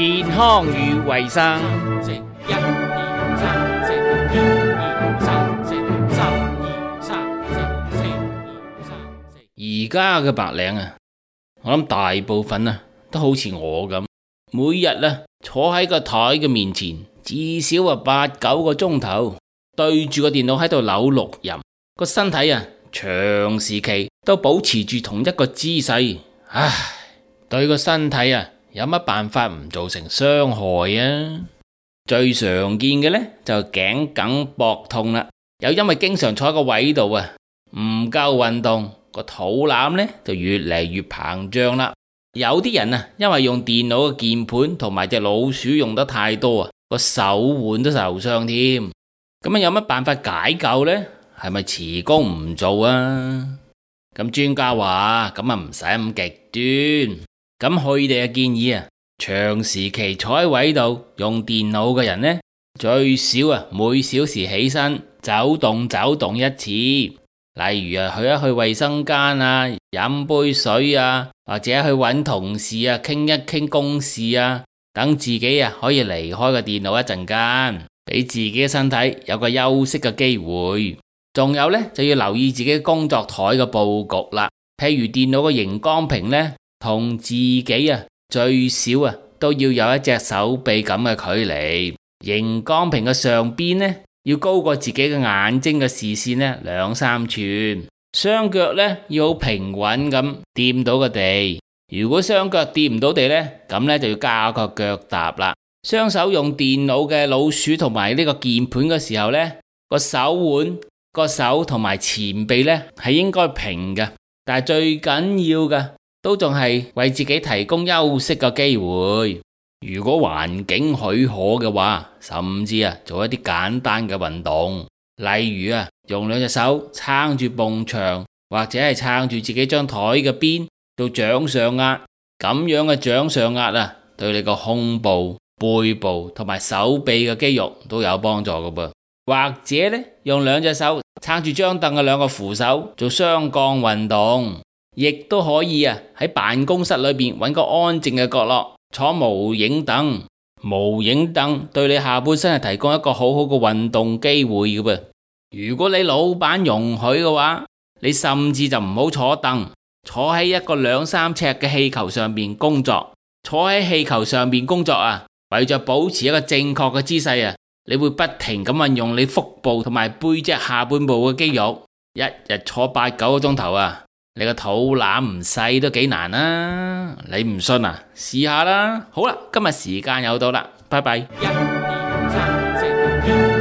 健康與衛生。食一二三，食一二三，食三二三，食四二三四。而家嘅白領啊，我諗大部分啊都好似我咁，每日啊坐喺個台嘅面前，至少8-9個鐘頭，對住個電腦喺度扭錄音，個身體啊長時期都保持住同一個姿勢，唉，對個身體啊有乜辦法唔造成傷害啊？最常見嘅呢，就頸梗膊痛啦，又因為經常坐喺個位度啊，唔夠運動，個肚腩呢就越嚟越膨脹啦。有啲人啊，因為用電腦嘅鍵盤同埋隻老鼠用得太多啊，個手腕都受傷添。咁有乜辦法解救呢？係咪辭工唔做啊？咁專家話咁唔使咁極端。咁佢哋嘅建議啊，長時期坐喺位度用電腦嘅人呢，最少啊每小時起身走動一次。例如啊，去一去衛生間啊，飲杯水啊，或者去揾同事啊，傾一傾公事啊，等自己啊可以離開個電腦一陣間，俾自己嘅身體有個休息嘅機會。仲有呢，就要留意自己工作台嘅佈局啦。譬如電腦嘅熒光屏呢，同自己啊最少啊都要有一隻手臂咁嘅距離。熒光屏嘅上邊呢，要高過自己嘅眼睛嘅視線呢2-3寸。雙腳呢要好平穩咁掂到個地。如果雙腳掂唔到地呢，咁呢就要加個腳踏啦。雙手用電腦嘅老鼠同埋呢個鍵盤嘅時候呢，個手腕、個手同埋前臂呢係應該平嘅。但係最緊要嘅都仲係為自己提供休息嘅機會。如果環境許可嘅話，甚至啊做一啲簡單嘅運動，例如啊用兩隻手撐住埲牆，或者係撐住自己張台嘅邊做掌上壓。咁樣嘅掌上壓啊，對你個胸部、背部同埋手臂嘅肌肉都有幫助㗎噃。或者呢，用兩隻手撐住張凳嘅兩個扶手做雙槓運動，亦都可以啊喺辦公室裏邊揾個安靜嘅角落坐無影凳。無影凳對你下半身係提供一個好好嘅運動機會嘅噃。如果你老闆容許嘅話，你甚至就唔好坐凳，坐喺一個2-3尺嘅氣球上邊工作。坐喺氣球上邊工作啊，為咗保持一個正確嘅姿勢啊，你會不停咁運用你腹部同埋背脊下半部嘅肌肉，一日坐8-9個鐘頭啊，你個肚腩唔細都幾難啊。你唔信啊，試下啦。好啦，今日時間又到啦，拜拜。1、2、3、4、